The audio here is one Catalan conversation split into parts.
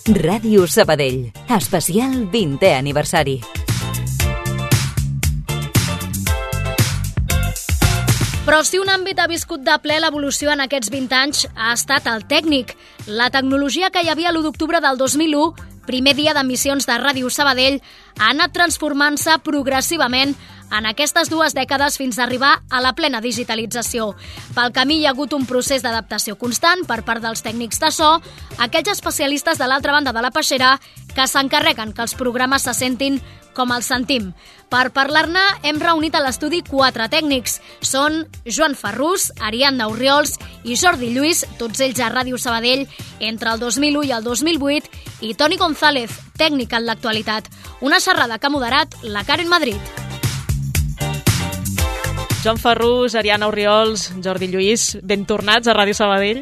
Ràdio Sabadell, especial 20è aniversari. Però si un àmbit ha viscut de ple l'evolució en aquests 20 anys ha estat el tècnic. La tecnologia que hi havia l'1 d'octubre del 2001, primer dia d'emissions de Ràdio Sabadell, ha anat transformant-se progressivament en aquestes 2 dècades fins a arribar a la plena digitalització. Pel camí hi ha hagut un procés d'adaptació constant per part dels tècnics de so, aquells especialistes de l'altra banda de la peixera que s'encarreguen que els programes se sentin com els sentim. Per parlar-ne hem reunit a l'estudi 4 tècnics. Són Joan Ferrús, Ariadna Orriols i Jordi Lluís, tots ells a Ràdio Sabadell entre el 2001 i el 2008, i Toni González, tècnic en l'actualitat. Una xerrada que ha moderat la Karen Madrid. Joan Ferrús, Ariadna Orriols, Jordi Lluís, ben tornats a Ràdio Sabadell.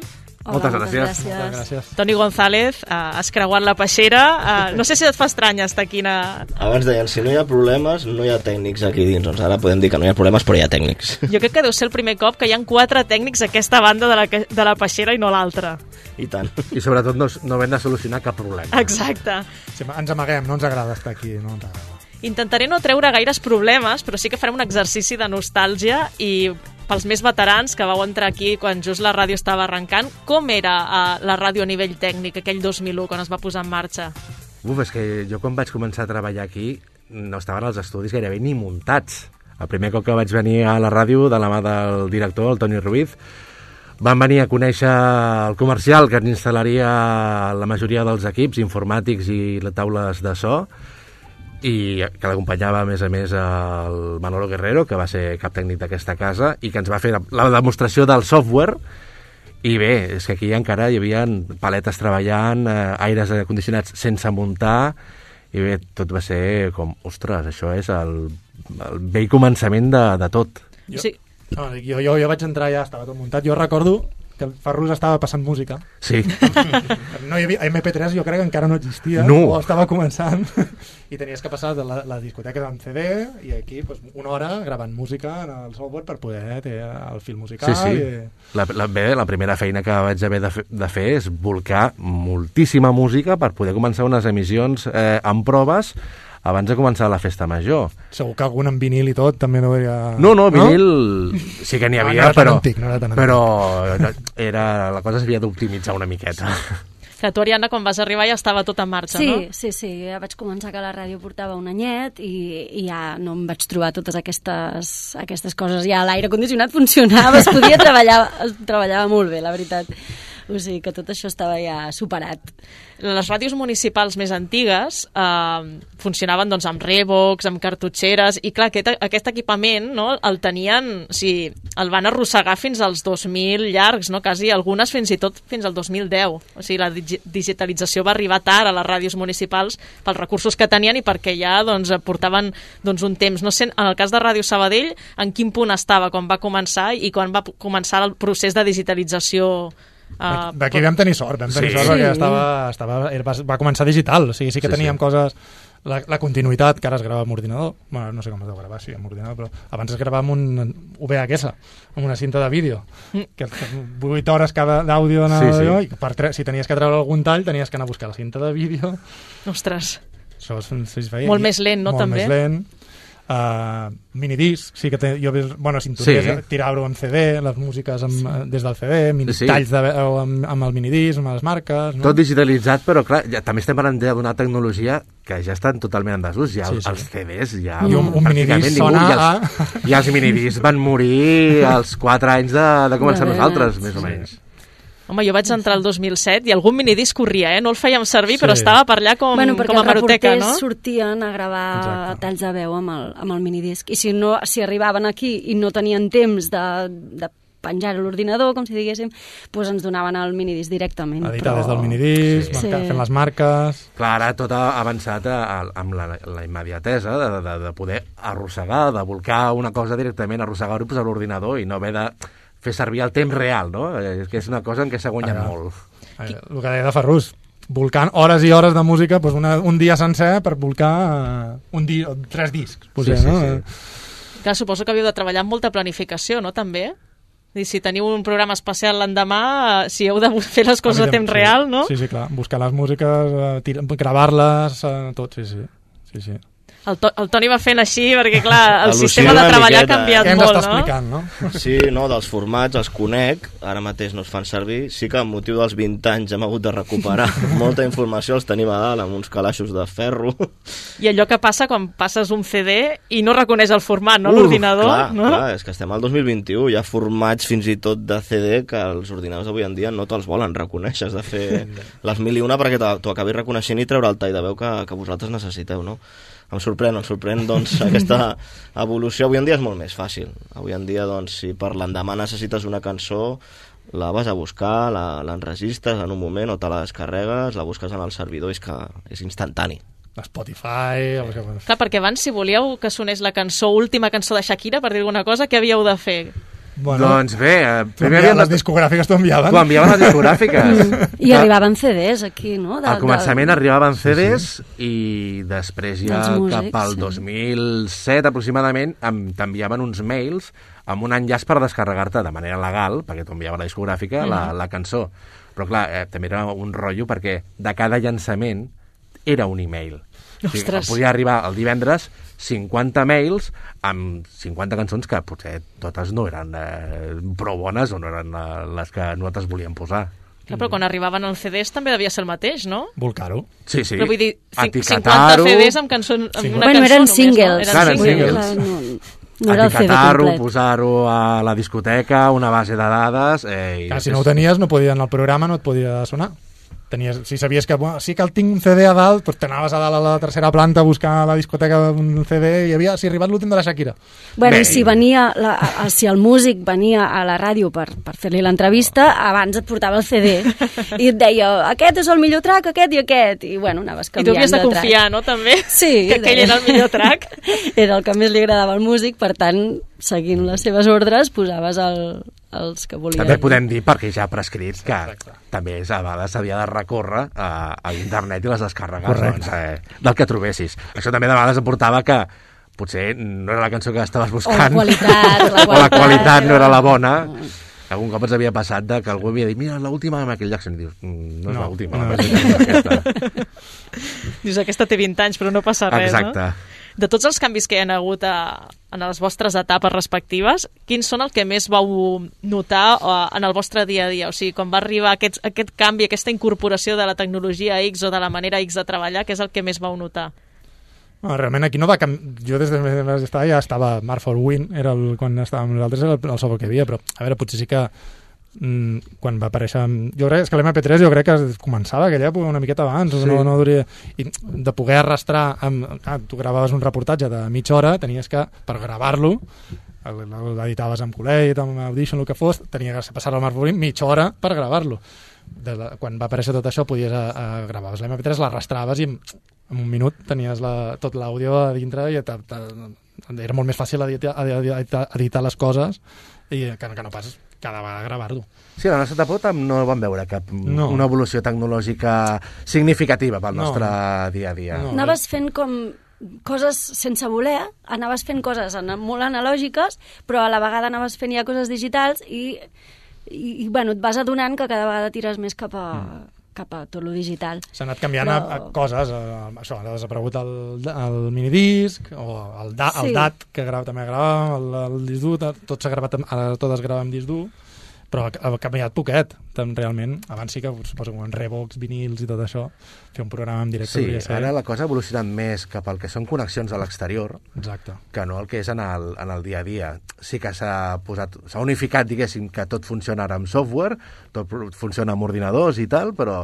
Hola, moltes gràcies. Toni González, has creuat la peixera. No sé si et fa estrany estar aquí. Abans deien, si no hi ha problemes, no hi ha tècnics aquí dins. Doncs ara podem dir que no hi ha problemes, però hi ha tècnics. Jo crec que deu ser el primer cop que hi ha 4 tècnics a aquesta banda de la peixera i no l'altra. I tant. I sobretot no hem de solucionar cap problema. Exacte. Sí, ens amaguem, no ens agrada estar aquí, no ens agrada. Intentaré no treure gaires problemes, però sí que farem un exercici de nostàlgia i pels més veterans que vau entrar aquí quan just la ràdio estava arrencant, com era la ràdio a nivell tècnic aquell 2001 quan es va posar en marxa? És que jo quan vaig començar a treballar aquí no estaven els estudis gairebé ni muntats. El primer cop que vaig venir a la ràdio de la mà del director, el Toni Ruiz, van venir a conèixer el comercial que ens instal·laria la majoria dels equips informàtics i les taules de so, i que l'acompanyava a més el Manolo Guerrero, que va ser cap tècnic d'aquesta casa i que ens va fer la demostració del software. I bé, és que aquí encara hi havia paletes treballant, aires acondicionats sense muntar, i bé, tot va ser com, ostres, això és el vell començament de tot. Jo vaig entrar, ja estava tot muntat. Jo recordo que el Ferrús estava passant música. Sí. No hi havia MP3, jo crec que encara no existia, o estava començant, i tenies que passar de la discoteca amb CD i aquí una hora gravant música en el software per poder fer el fil musical. Sí. La primera feina que vaig haver de fer és volcar moltíssima música per poder començar unes emissions amb proves abans de començar la festa major. Segur que algun en vinil i tot també no hi havia... No, vinil sí que n'hi havia, però la cosa s'havia d'optimitzar una miqueta. Que tu, Ariadna, quan vas arribar ja estava tot en marxa, no? Sí, ja vaig començar que la ràdio portava un anyet i ja no em vaig trobar totes aquestes coses. Ja l'aire condicionat funcionava, es podia treballava molt bé, la veritat. O sigui que tot això estava ja superat. Les ràdios municipals més antigues funcionaven doncs, amb rebox, amb cartutxeres, i clar, aquest equipament el tenien, el van arrossegar fins als 2000 llargs, quasi algunes fins i tot fins al 2010. O sigui, la digitalització va arribar tard a les ràdios municipals pels recursos que tenien i perquè ja portaven un temps. No sé, en el cas de Ràdio Sabadell, en quin punt estava quan va començar i quan va començar el procés de digitalització? Aquí vam tenir sort perquè va començar digital, o sigui, sí que teníem coses, la continuïtat, que ara es grava amb ordinador, bueno, no sé com es deu gravar, amb ordinador, però abans es gravava amb un VHS, amb una cinta de vídeo, que 8 hores cada d'àudio en l'àudio, i si tenies que treure algun tall tenies que anar a buscar la cinta de vídeo. Ostres, molt més lent, no? També? Molt més lent. Minidisc, sí que sintonies, tirar-ho amb CD, les músiques des del CD, talls amb el minidisc, amb les marques, no? Tot digitalitzat, però clar, també estem parlant d'una tecnologia que ja estan totalment en desús, els CDs ja un minidisc sona i els minidiscs van morir als 4 anys de començar nosaltres, més o menys. Home, jo vaig entrar el 2007 i algun minidisc corria, no el fèiem servir, però estava per allà com a maroteca, no? Perquè els reporters sortien a gravar talls de veu amb el minidisc, i si arribaven aquí i no tenien temps de penjar a l'ordinador, com si diguéssim, doncs ens donaven el minidisc directament. Editar des del minidisc, fent les marques... Clar, ara tot ha avançat amb la immediatesa de poder arrossegar, de volcar una cosa directament, arrossegar-ho a l'ordinador i no haver de fer servir el temps real, no? Que és una cosa en què s'ha guanyat molt. El que deia de Ferrús, volcant hores i hores de música, un dia sencer per volcar 3 discs. Clar, suposo que havíeu de treballar amb molta planificació, no? També? I si teniu un programa especial l'endemà, si heu de fer les coses a temps real, no? Sí, clar, buscar les músiques, gravar-les, tot, sí. El Toni va fent així perquè, clar, el sistema de treballar ha canviat molt, no? Què ens està explicant, no? Sí, no, dels formats els conec, ara mateix no es fan servir. Sí que amb motiu dels 20 anys hem hagut de recuperar molta informació, els tenim a dalt amb uns calaixos de ferro. I allò que passa quan passes un CD i no reconeix el format, no? L'ordinador, clar, no? Clar, és que estem al 2021, hi ha formats fins i tot de CD que els ordinadors avui en dia no te'ls volen reconèixer, has de fer les 1001 perquè t'ho acabis reconeixent i treure el tall de veu que vosaltres necessiteu, no? Em sorprèn, doncs, aquesta evolució. Avui en dia és molt més fàcil. Avui en dia, doncs, si per l'endemà necessites una cançó, la vas a buscar, l'enregistres en un moment o te la descarregues, la busques en el servidor, és que és instantani. Spotify... Clar, perquè abans, si volíeu que sonés la última cançó de Shakira, per dir alguna cosa, què havíeu de fer? Bueno, doncs bé, primer les discogràfiques t'ho enviaven. T'ho enviaven les discogràfiques. I arribaven CDs aquí, no? Al començament arribaven CDs i després ja cap al 2007 aproximadament t'enviaven uns mails amb un enllaç per descarregar-te de manera legal, perquè t'ho enviava la discogràfica, la cançó. Però clar, també era un rotllo perquè de cada llançament era un email. Ostres. Podia arribar el divendres 50 mails amb 50 cançons que potser totes no eren prou bones o no eren les que nosaltres volíem posar. Clar, però quan arribaven els CDs també devia ser el mateix, no? Volcar-ho. Sí. Però vull dir, 50 CDs amb cançons, amb una cançó eren només, singles. No? Eren singles. No era el CD complet. Posar-ho a la discoteca, una base de dades... Clar, si no ho tenies, no podia anar al programa, no et podia sonar. Si sabies que sí que el tinc un CD a dalt, doncs t'anaves a dalt a la tercera planta a buscar a la discoteca un CD i havia arribat l'últim de la Shakira. Bueno, i si si el músic venia a la ràdio per fer-li l'entrevista, abans et portava el CD i et deia, aquest és el millor track, aquest i aquest, i bueno, anaves canviant de track. I tu havies de confiar, no, també? Sí. Que aquell era el millor track. Era el que més li agradava al músic, per tant, seguint les seves ordres, posaves els que volien. També podem dir, perquè ja ha prescrit, que també a vegades s'havia de recórrer a internet i les descàrregues del que trobessis. Això també de vegades aportava que potser no era la cançó que estaves buscant o la qualitat no era la bona. Algun cop ens havia passat que algú havia dit mira, l'última de Michael Jackson, i dius, no és l'última, aquesta. Dius, aquesta té 20 anys però no passa res. Exacte. No? De tots els canvis que hi ha hagut en les vostres etapes respectives, quins són el que més vau notar en el vostre dia a dia? O sigui, quan va arribar aquest canvi, aquesta incorporació de la tecnologia X o de la manera X de treballar, què és el que més vau notar? No, realment aquí no va canviar. Jo des de ja estava Mark for Win, quan estàvem nosaltres era el software que hi havia, però a veure, potser sí que quan va aparèixer... Jo crec que l'MP3 jo crec que començava aquella època una miqueta abans, sí. no duria... I de poder arrastrar... tu gravaves un reportatge de mitja hora, tenies que, per gravar-lo, l'editaves amb Coleit, amb Audition, el que fos, tenies que passar al Mark for Win mitja hora per gravar-lo. Quan va aparèixer tot això, podies gravaves l'MP3, l'arrastraves i en un minut tenies tot l'àudio a dintre i era molt més fàcil editar les coses i que no pas cada vegada gravar-lo. Sí, a la nostra etapa no vam veure una evolució tecnològica significativa pel nostre dia a dia. No. Anaves fent com coses sense voler, anaves fent coses molt analògiques, però a la vegada anaves fent ja coses digitals i bueno, et vas adonant que cada vegada tires més cap a tot lo digital. S'ha anat canviant a coses, això, ha desaparegut el minidisc o el DAT, que també gravàvem, el disc dur, tot s'ha gravat, ara tot es grava amb disc dur, però ha canviat poquet, realment. Abans sí que suposo en Revox, vinils i tot això, fer un programa en directe. Sí, ara la cosa ha evolucionat més cap al que són connexions a l'exterior, que no el que és en el dia a dia. Sí que s'ha unificat, diguéssim, que tot funciona ara amb software, tot funciona amb ordinadors i tal, però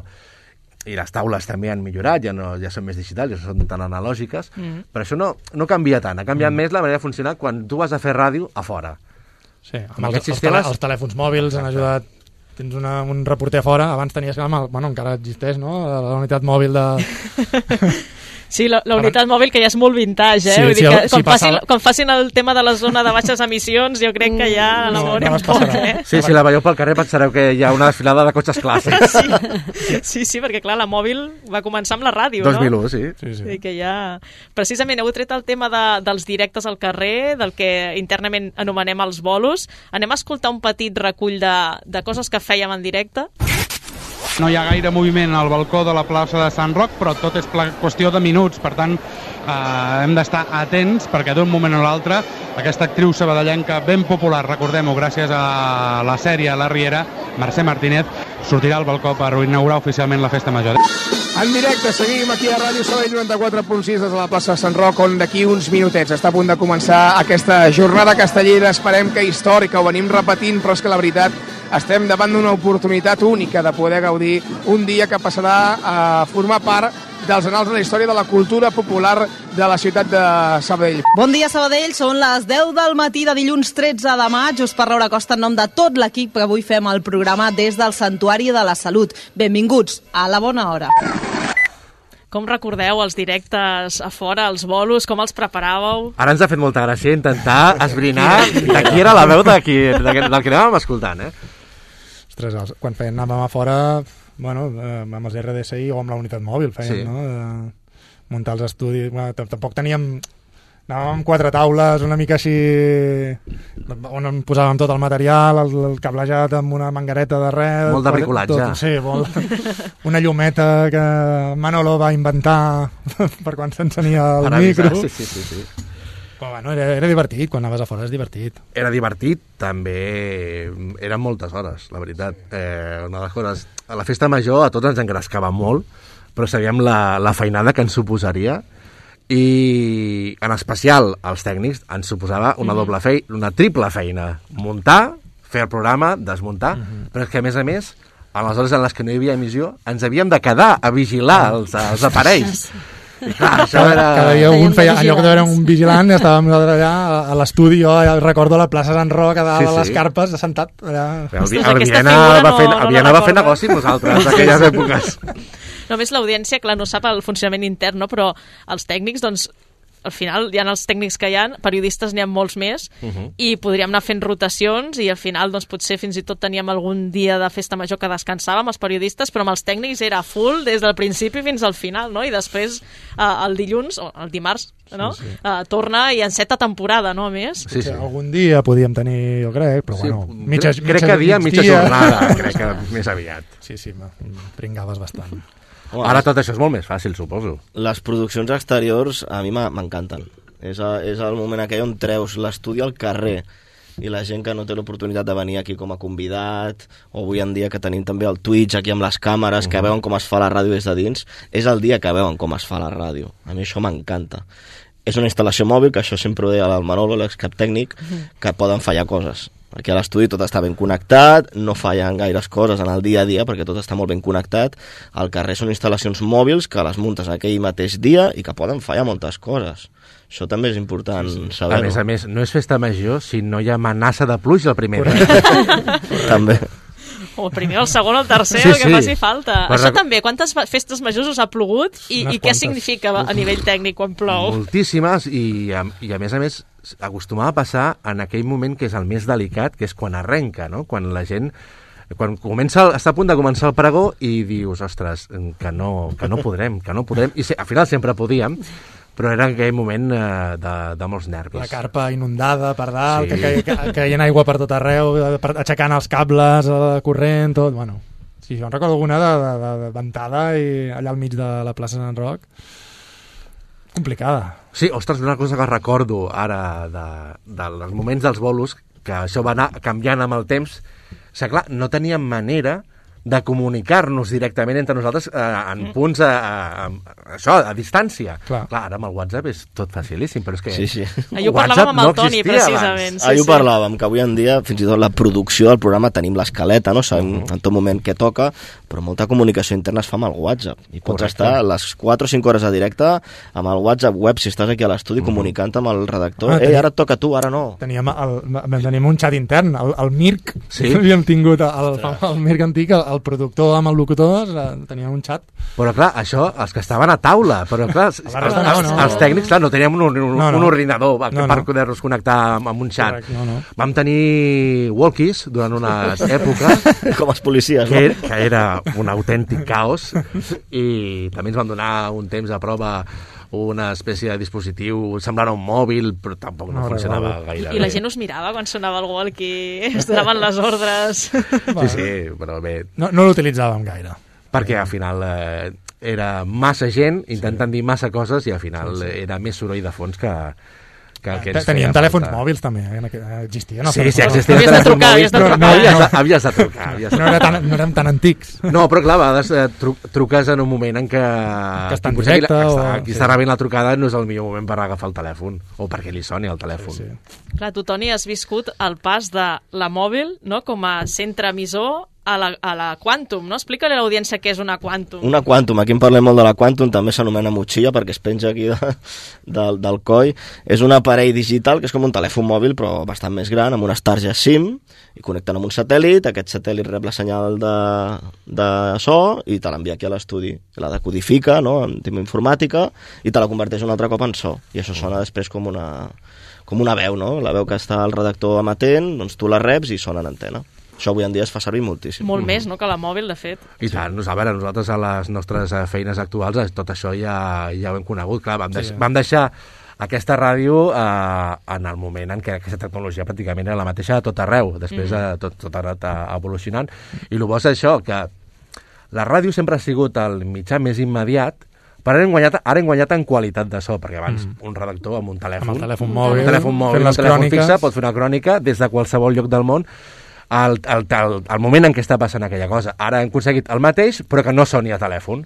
i les taules també han millorat, ja són més digitals, ja són tan analògiques, però això no canvia tant, ha canviat més la manera de funcionar quan tu vas a fer ràdio a fora. Sí, amb els telèfons mòbils han ajudat. Tens un reporter a fora, abans tenies que... Bueno, encara existeix, no? La unitat mòbil de... Sí, la unitat mòbil que ja és molt vintage, Sí, vull dir que sí, quan facin el tema de la zona de baixes emissions, jo crec que ja elaborem poc, Sí, si la veieu pel carrer pensareu que hi ha una desfilada de cotxes clàssics. Sí, perquè clar, la mòbil va començar amb la ràdio, 2001, no? sí. I que ja... Precisament heu tret el tema dels directes al carrer, del que internament anomenem els bolos. Anem a escoltar un petit recull de coses que fèiem en directe. No hi ha gaire moviment al balcó de la plaça de Sant Roc, però tot és qüestió de minuts, per tant hem d'estar atents perquè d'un moment a l'altre aquesta actriu sabadellenca ben popular, recordem-ho, gràcies a la sèrie La Riera, Mercè Martínez, sortirà al balcó per inaugurar oficialment la Festa Major. En directe, seguim aquí a Ràdio Sabadell 94.6 des de la plaça de Sant Roc, on d'aquí uns minutets està a punt de començar aquesta jornada castellera, esperem que històrica, ho venim repetint, però és que la veritat estem davant d'una oportunitat única de poder gaudir un dia que passarà a formar part dels anals de la història de la cultura popular de la ciutat de Sabadell. Bon dia, Sabadell. Són les 10 del matí de dilluns 13 de maig. Us parla Laura Costa en nom de tot l'equip que avui fem el programa des del Santuari de la Salut. Benvinguts a la bona hora. Com recordeu els directes a fora, els bolos, com els preparàveu? Ara ens ha fet molta gràcia intentar esbrinar de qui era la veu del que anàvem escoltant, Ostres, quan anàvem a fora, bueno, amb els RDSI o amb la unitat mòbil fèiem, no? Muntar els estudis, bueno, tampoc teníem... Anàvem amb 4 taules, una mica així, on posàvem tot el material, el cablejat amb una manguereta de res... Molt de bricolatge. Sí, una llumeta que Manolo va inventar per quan s'encenia el micro. Sí. Però bueno, era divertit, quan anaves a fora és divertit. Era divertit, també eren moltes hores, la veritat. Una de les coses, a la festa major a tots ens engrescava molt, però sabíem la feinada que ens suposaria, i en especial als tècnics ens suposava una doble feina, una triple feina: muntar, fer el programa, desmuntar, però és que a més, a les hores en les que no hi havia emissió ens havíem de quedar a vigilar els aparells. I clar, això era... Cada dia un feia, en lloc de veure un vigilant, estàvem allà a l'estudi, jo recordo la plaça Sant Roc, a dalt a les carpes, assentat allà. El Viena va fer negoci amb nosaltres d'aquelles èpoques. Només l'audiència, clar, no sap el funcionament intern, no? Però els tècnics, doncs, al final hi ha els tècnics que hi ha, periodistes n'hi ha molts més, i podríem anar fent rotacions, i al final doncs, potser fins i tot teníem algun dia de festa major que descansàvem els periodistes, però amb els tècnics era full des del principi fins al final, no? I després el dilluns, o el dimarts, no? Torna i enceta temporada, no? A més. Sí. Algun dia podíem tenir, jo crec, però bueno... Crec que mitja jornada, crec que més aviat. Sí, pringaves bastant. Ara tot això és molt més fàcil, suposo. Les produccions exteriors a mi m'encanten. És el moment aquell on treus l'estudi al carrer i la gent que no té l'oportunitat de venir aquí com a convidat, o avui en dia que tenim també el Twitch aquí amb les càmeres, que veuen com es fa la ràdio des de dins, és el dia que veuen com es fa la ràdio. A mi això m'encanta. És una instal·lació mòbil, que això sempre ho deia el Manolo, l'excap tècnic, que poden fallar coses. Perquè a l'estudi tot està ben connectat, no fallen gaires coses en el dia a dia perquè tot està molt ben connectat. Al carrer són instal·lacions mòbils que les muntes aquell mateix dia i que poden fallar moltes coses. Això també és important saber-ho. A més, no és festa major si no hi ha amenaça de pluja el primer dia. També. O el primer, el segon, el tercer, el que faci falta. Això també, quantes festes majors us ha plogut i què significa a nivell tècnic quan plou? Moltíssimes, i a més acostumava a passar en aquell moment que és el més delicat, que és quan arrenca, no? Quan la gent... Quan està a punt de començar el pregó i dius, ostres, que no podrem, i al final sempre podíem, però era aquell moment de molts nervis. La carpa inundada per dalt, que caien aigua per tot arreu, aixecant els cables, el corrent, tot, bueno. Sí, jo en recordo alguna de ventada i allà al mig de la plaça Sant Roc. Complicada. Sí, ostres, una cosa que recordo ara dels moments dels bolos, que això va anar canviant amb el temps, que clar, no teníem manera de comunicar-nos directament entre nosaltres en punts a distància. Clar, ara amb el WhatsApp és tot facilíssim, però és que ahir ho parlàvem amb el Toni, precisament. Ahir ho parlàvem, que avui en dia fins i tot la producció del programa tenim l'escaleta, no? Sabem en tot moment què toca, però molta comunicació interna es fa amb el WhatsApp. I pots estar les 4 o 5 hores a directe amb el WhatsApp web, si estàs aquí a l'estudi comunicant amb el redactor. Ara et toca a tu, ara no. Teníem un xat intern, el Mirc. Havíem tingut el Mirc antic, el el productor amb el locutor tenien un xat. Però clar, això, els que estaven a taula, però clar, els tècnics, clar, no teníem un ordinador per poder-nos connectar amb un xat. Vam tenir walkies durant unes èpoques. Com els policies, no? Que era un autèntic caos, i també ens van donar un temps a prova una espècie de dispositiu, semblava un mòbil, però tampoc no funcionava gaire bé. I la gent us mirava quan sonava el walkie, es donaven les ordres. Sí, però bé. No l'utilitzàvem gaire. Perquè al final era massa gent intentant dir massa coses i al final era més soroll de fons que teníem telèfons mòbils també, existien. Sí, existien telèfons mòbils, però havies de trucar. No érem tan antics. No, però clar, a vegades truques en un moment en què està en directe, qui està rebent la trucada no és el millor moment per agafar el telèfon o perquè li soni el telèfon. Clar, tu, Toni, has viscut el pas de la mòbil, no?, com a centre emissor a la Quantum, no? Explica-li a l'audiència què és una Quantum. Una Quantum, aquí en parlem molt de la Quantum, també s'anomena motxilla perquè es penja aquí del coll. És un aparell digital que és com un telèfon mòbil però bastant més gran, amb unes targes SIM, i connecten amb un satèl·lit, aquest satèl·lit rep la senyal de so i te l'envia aquí a l'estudi. La decodifica, no?, en tema informàtica, i te la converteix un altre cop en so. I això sona després com una veu, no? La veu que està el redactor amatent, doncs tu la reps i sona en antena. Això avui en dia es fa servir moltíssim. Molt més, no?, que la mòbil, de fet. I tant, nosaltres a les nostres feines actuals tot això ja ho hem conegut. Clar, vam deixar aquesta ràdio en el moment en què aquesta tecnologia pràcticament era la mateixa a tot arreu. Després tot ha anat evolucionant. I el bo és això, que la ràdio sempre ha sigut el mitjà més immediat, però ara hem guanyat en qualitat de so, perquè abans un redactor amb un telèfon, amb el telèfon mòbil, un telèfon fixe, pot fer una crònica des de qualsevol lloc del món, al moment en què està passant aquella cosa. Ara hem aconseguit el mateix, però que no soni a telèfon.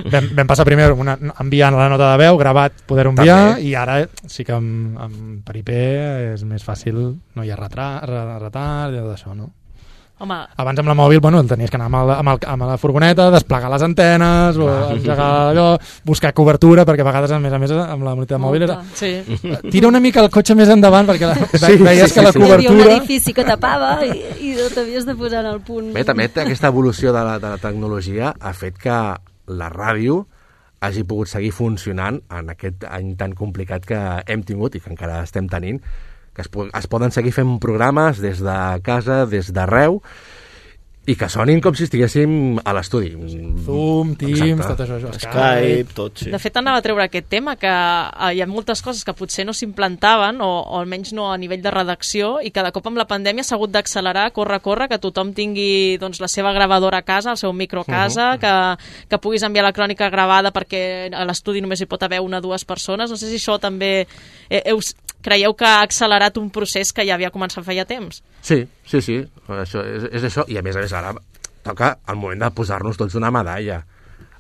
Vam passar primer enviant la nota de veu, gravat, poder-ho enviar, i ara sí que per IP és més fàcil, no hi ha retard, i tot això, no? Home. Abans amb la mòbil, tenies que anar amb la furgoneta, desplegar les antenes, o engegar allò, buscar cobertura, perquè a vegades, a més, amb la unitat mòbil era... Sí. Tira una mica el cotxe més endavant, perquè veies que la cobertura... Hi havia un edifici que tapava i no t'havies de posar en el punt. Bé, també aquesta evolució de la tecnologia ha fet que la ràdio hagi pogut seguir funcionant en aquest any tan complicat que hem tingut i que encara estem tenint, que es poden seguir fent programes des de casa, des d'arreu, i que sonin com si estiguéssim a l'estudi. Zoom, Teams, tot això. Skype, tot, sí. De fet, anava a treure aquest tema, que hi ha moltes coses que potser no s'implantaven, o almenys no a nivell de redacció, i que de cop amb la pandèmia s'ha hagut d'accelerar, córrer, que tothom tingui la seva gravadora a casa, el seu micro a casa, que puguis enviar la crònica gravada perquè a l'estudi només hi pot haver una o dues persones. No sé si això també... Creieu que ha accelerat un procés que ja havia començat feia temps? Sí. Això és això. I a més, ara toca el moment de posar-nos tots una medalla.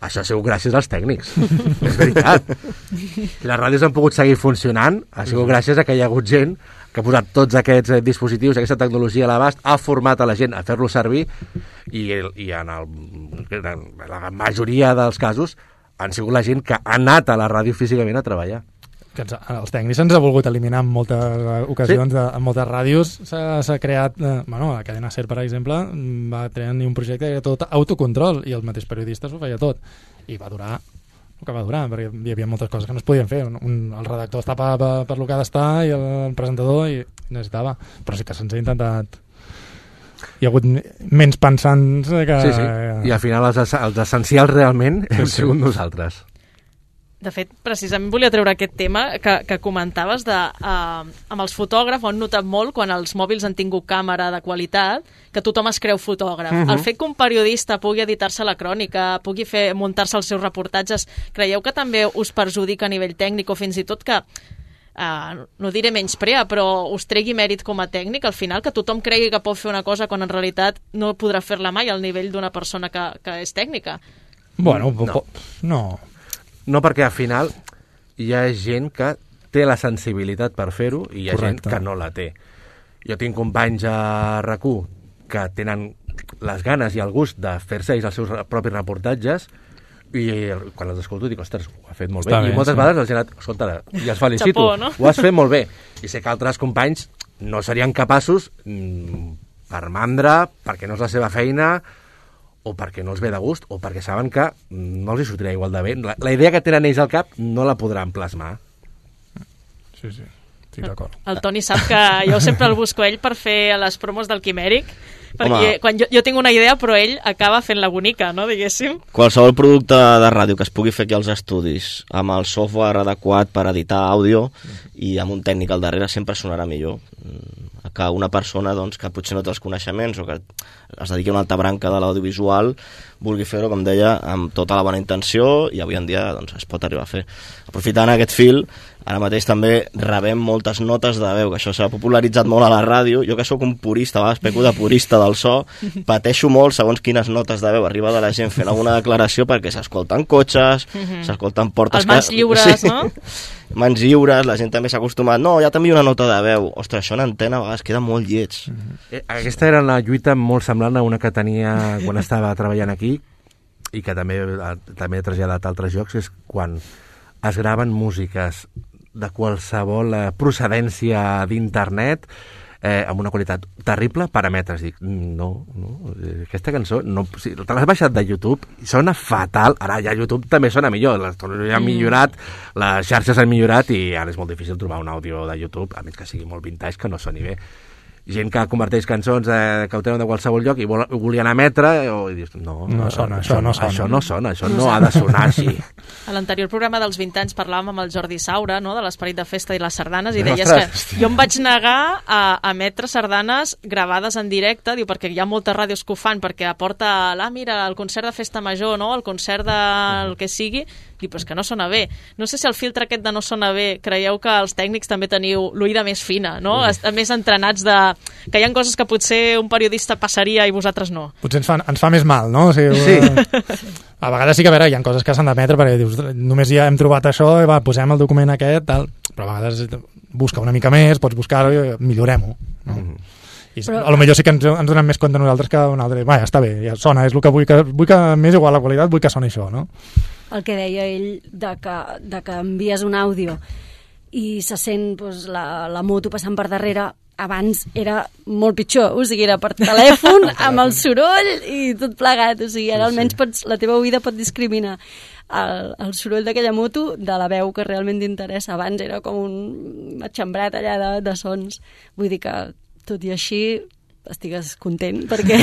Això ha sigut gràcies als tècnics. És veritat. Si les ràdios han pogut seguir funcionant, ha sigut gràcies a que hi ha hagut gent que ha posat tots aquests dispositius, aquesta tecnologia a l'abast, ha format a la gent a fer-lo servir, i en la majoria dels casos han sigut la gent que ha anat a la ràdio físicament a treballar. Que els tècnics ens ha volgut eliminar en moltes ocasions, sí. En moltes ràdios s'ha creat, la cadena SER, per exemple, va tenir un projecte de tot autocontrol, i el mateix periodista s'ho feia tot, i va durar el que va durar, perquè hi havia moltes coses que no es podien fer. El redactor està per lo que ha d'estar, i el presentador i necessitava, però sí que se'ns ha intentat. Hi ha hagut menys pensants que... Sí. I al final els essencials realment hem sigut nosaltres. De fet, precisament volia treure aquest tema que comentaves amb els fotògrafs, ho han notat molt quan els mòbils han tingut càmera de qualitat, que tothom es creu fotògraf. El fet que un periodista pugui editar-se la crònica, pugui muntar-se els seus reportatges, creieu que també us perjudica a nivell tècnic, o fins i tot que, no diré menysprea, però us tregui mèrit com a tècnic, al final, que tothom cregui que pot fer una cosa quan en realitat no podrà fer-la mai al nivell d'una persona que és tècnica? Bueno, no. No, perquè al final hi ha gent que té la sensibilitat per fer-ho i hi ha gent que no la té. Jo tinc companys a RAC1 que tenen les ganes i el gust de fer-se ells els seus propis reportatges, i quan els escolto dic, ostres, ho ha fet molt bé. I moltes vegades la gent, escolta, i els felicito, Chapó, no? Ho has fet molt bé. I sé que altres companys no serien capaços per mandra, perquè no és la seva feina, o perquè no els ve de gust, o perquè saben que no els hi sortirà igual de bé. La idea que tenen ells al cap no la podran plasmar. Sí, estic d'acord. El Toni sap que jo sempre el busco ell per fer les promos del Quimèric, perquè quan jo tinc una idea, però ell acaba fent la bonica, no, diguéssim. Qualsevol producte de ràdio que es pugui fer aquí als estudis, amb el software adequat per editar àudio i amb un tècnic al darrere, sempre sonarà millor que una persona doncs, que potser no té els coneixements o que es dediqui a una altra branca de l'audiovisual vulgui fer-ho, com deia, amb tota la bona intenció, i avui en dia doncs, es pot arribar a fer. Aprofitant aquest fil, ara mateix també rebem moltes notes de veu, que això s'ha popularitzat molt a la ràdio. Jo que sóc un purista, a vegades peco de purista del so, pateixo molt segons quines notes de veu arriba de la gent fent alguna declaració, perquè s'escolten cotxes, s'escolten portes... Els mans lliures, no? Mans lliures, la gent també s'ha acostumat, no, ja t'envio una nota de veu. Ostres, això en antena a vegades queda molt lleig. Aquesta era una lluita molt semblant a una que tenia quan estava treballant aquí, i que també he traslladat a altres llocs, és quan es graven músiques de qualsevol procedència d'internet amb una qualitat terrible per emetres. Dic, no, aquesta cançó te l'has baixat de YouTube i sona fatal. Ara ja YouTube també sona millor, les tecnologies han millorat, les xarxes han millorat i ara és molt difícil trobar un àudio de YouTube, a més que sigui molt vintage, que no soni bé. Gent que converteix cançons que ho tenen de qualsevol lloc i volien emetre, i dius, això no ha de sonar així. A l'anterior programa dels 20 anys parlàvem amb el Jordi Saura, no?, de l'esperit de festa i les sardanes, i deies que jo em vaig negar a emetre sardanes gravades en directe, diu, perquè hi ha moltes ràdios que ho fan, perquè aporta, mira, el concert de festa major, no?, el concert del que sigui, diu, però és que no sona bé. No sé si el filtre aquest de no sona bé, creieu que els tècnics també teniu l'oïda més fina, no?, més entrenats que hi ha coses que potser un periodista passaria i vosaltres no. Potser ens fa més mal, no? O sigui, sí. A vegades sí que, a veure, hi ha coses que s'han d'emetre perquè dius, només ja hem trobat això i posem el document aquest, tal. Però a vegades busca una mica més, pots buscar-ho i millorem-ho. No? I a lo millor sí que ens donem més compte nosaltres que un altre. Va, ja està bé, ja sona, és el que vull que m'és igual la qualitat, vull que soni això, no? El que deia ell de que envies un àudio i se sent la moto passant per darrere, abans era molt pitjor, o sigui, era per telèfon, amb el soroll i tot plegat, o sigui, ara almenys la teva oïda pot discriminar el soroll d'aquella moto de la veu que realment t'interessa. Abans era com un matxembrat allà de sons. Vull dir que, tot i així, estigues content perquè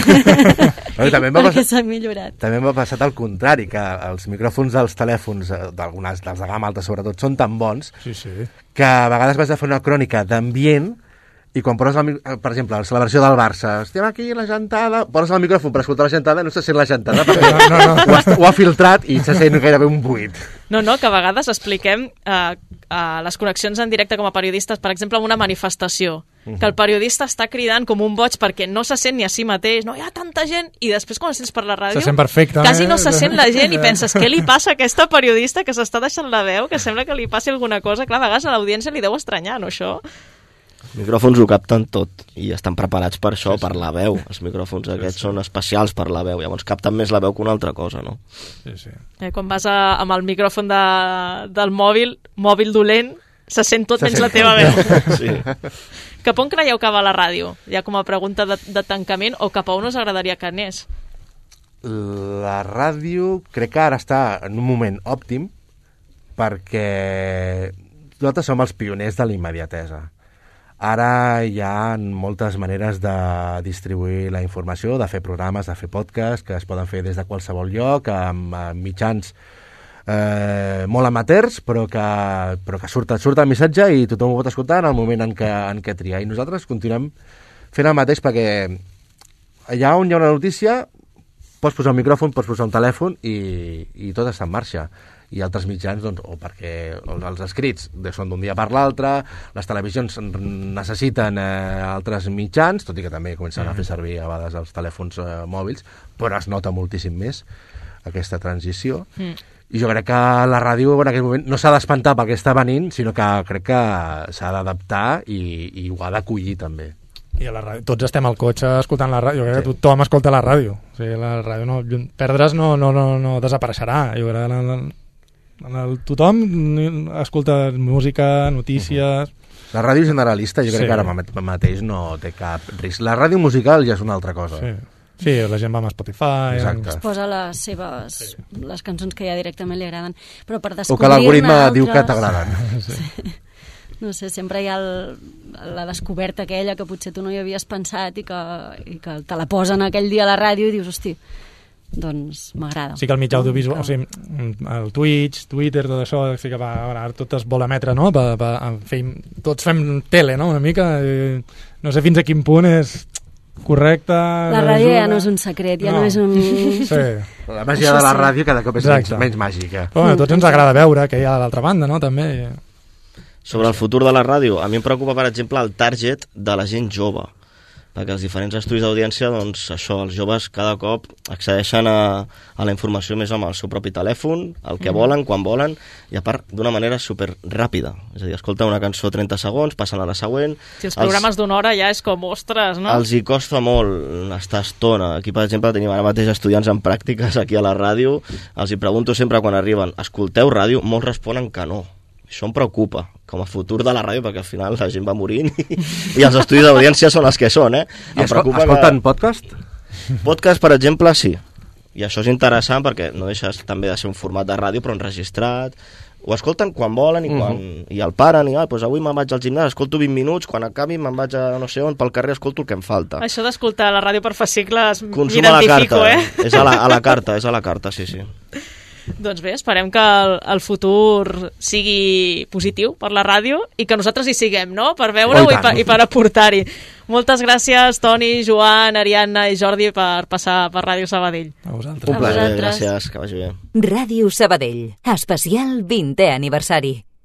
s'ha millorat. També m'ha passat al contrari, que els micròfons dels telèfons, dels de gamma alta sobretot, són tan bons que a vegades vas a fer una crònica d'ambient i quan poses, per exemple, la celebració del Barça, estem aquí a la gentada, poses el micròfon per escoltar la gentada, no se sent la gentada perquè ho ha filtrat i se sent gairebé un buit. No, que a vegades expliquem les connexions en directe com a periodistes, per exemple, en una manifestació, que el periodista està cridant com un boig perquè no se sent ni a si mateix, no hi ha tanta gent, i després quan sents per la ràdio se sent perfecte, quasi no se sent la gent i penses, què li passa a aquesta periodista que s'està deixant la veu, que sembla que li passi alguna cosa. Clar, a vegades a l'audiència li deu estranyar, no, això? Els micròfons ho capten tot i estan preparats per això, per la veu. Els micròfons aquests són especials per la veu, llavors capten més la veu que una altra cosa, no? Quan vas amb el micròfon del mòbil dolent, se sent tot menys la teva veu. Sí. Cap on creieu que va la ràdio? Ja com a pregunta de tancament, o cap a on us agradaria que anés? La ràdio crec que ara està en un moment òptim perquè nosaltres som els pioners de la immediatesa. Ara hi ha moltes maneres de distribuir la informació, de fer programes, de fer podcasts, que es poden fer des de qualsevol lloc, amb mitjans molt amateurs, però que surt el missatge i tothom ho pot escoltar en el moment en què triar. I nosaltres continuem fent el mateix perquè allà on hi ha una notícia pots posar un micròfon, pots posar un telèfon i tot està en marxa. I altres mitjans, doncs, o perquè els escrits són d'un dia per l'altre, les televisions necessiten altres mitjans, tot i que també comencen a fer servir a vegades els telèfons mòbils, però es nota moltíssim més aquesta transició. I jo crec que la ràdio en aquest moment no s'ha d'espantar pel que està venint, sinó que crec que s'ha d'adaptar i ho ha d'acollir també. I a la ràdio, tots estem al cotxe escoltant la ràdio, jo crec que tothom escolta la ràdio. O sigui, la ràdio perdre's no desapareixerà. Jo crec que tothom escolta música, notícies... La ràdio generalista jo crec que ara mateix no té cap risc. La ràdio musical ja és una altra cosa. Sí, la gent va amb Spotify. Exacte. Es posa les cançons que ja directament li agraden. Però per O que descobrir-ne l'algoritme altres... diu que t'agraden. Sí. No sé, sempre hi ha la descoberta aquella que potser tu no hi havies pensat i que te la posen aquell dia a la ràdio i dius, hosti, doncs m'agrada. Sí que el mitjà audiovisual, o sigui, el Twitch, Twitter, tot això, sí que ara tot es vol emetre, no? Tots fem tele, no? Una mica, no sé fins a quin punt és correcte... La ràdio ja no és un secret, ja no és un... Sí. La màgia de la ràdio cada cop és menys màgica. Però bueno, a tots ens agrada veure que hi ha a l'altra banda, no? També... Sobre el futur de la ràdio, a mi em preocupa, per exemple, el target de la gent jove, perquè els diferents estudis d'audiència, doncs això, els joves cada cop accedeixen a la informació més amb el seu propi telèfon, el que volen, quan volen, i a part d'una manera super ràpida. És a dir, escolta una cançó 30 segons, passen a la següent... Si els programes d'una hora ja és com, ostres, no? Els hi costa molt estar estona. Aquí, per exemple, tenim ara mateix estudiants en pràctiques aquí a la ràdio, els hi pregunto sempre quan arriben, escolteu ràdio? Molts responen que no. Això em preocupa, com a futur de la ràdio, perquè al final la gent va morint i els estudis d'audiència són els que són, eh? I escolten podcast? Podcast, per exemple, sí. I això és interessant perquè no deixes també de ser un format de ràdio, però enregistrat. Ho escolten quan volen i el paren, i doncs avui me'n vaig al gimnàs, escolto 20 minuts, quan acabi me'n vaig a no sé on, pel carrer escolto el que em falta. Això d'escoltar la ràdio per fascicles m'identifico, És a la carta, sí. Doncs bé, esperem que el futur sigui positiu per la ràdio i que nosaltres hi siguem, no? Per veure-ho i per aportar-hi. Moltes gràcies, Toni, Joan, Ariadna i Jordi, per passar per Ràdio Sabadell. A vosaltres. Un plaer, gràcies, que vagi bé. Ràdio Sabadell, especial 20è aniversari.